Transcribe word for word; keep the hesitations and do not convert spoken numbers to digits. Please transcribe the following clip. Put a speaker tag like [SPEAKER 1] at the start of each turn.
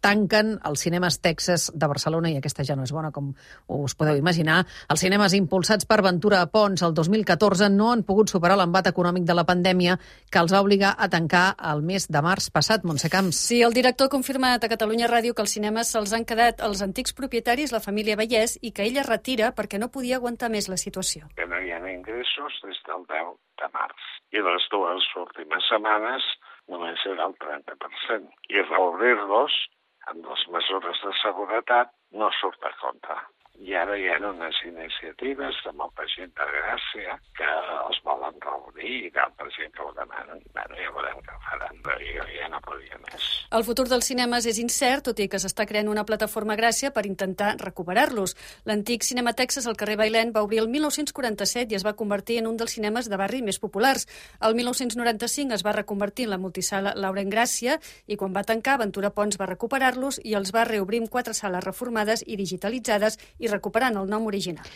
[SPEAKER 1] tanquen els cinemes Texas de Barcelona, i aquesta ja no és bona, com us podeu imaginar. Els cinemes impulsats per Ventura Pons el dos mil catorze no han pogut superar l'embat econòmic de la pandèmia que els va obligar a tancar el mes de març passat. Montse Camps.
[SPEAKER 2] Sí, el director ha confirmat a Catalunya Ràdio que els cinemes se'ls han quedat els antics propietaris, la família Vallès, i que ell es retira perquè no podia aguantar més la situació.
[SPEAKER 3] Que no hi ha ingressos des del deu de març. I les dues últimes setmanes només era el trenta per cent. I reobrir-los amb les mesures de seguretat no surt a compte. I ara hi ha unes iniciatives de molta gent de Gràcia que els volen reobrir i d'altra gent que ho demanen. Bueno, ja veurem què faran, però jo ja no podia més.
[SPEAKER 2] El futur dels cinemes és incert, tot i que s'està creant una plataforma Gràcia per intentar recuperar-los. L'antic Cinema Texas al carrer Bailèn va obrir el mil nou-cents quaranta-set i es va convertir en un dels cinemes de barri més populars. El mil nou-cents noranta-cinc es va reconvertir en la multisala Laurent Gràcia i quan va tancar, Ventura Pons va recuperar-los i els va reobrir amb quatre sales reformades i digitalitzades i recuperant el nom original.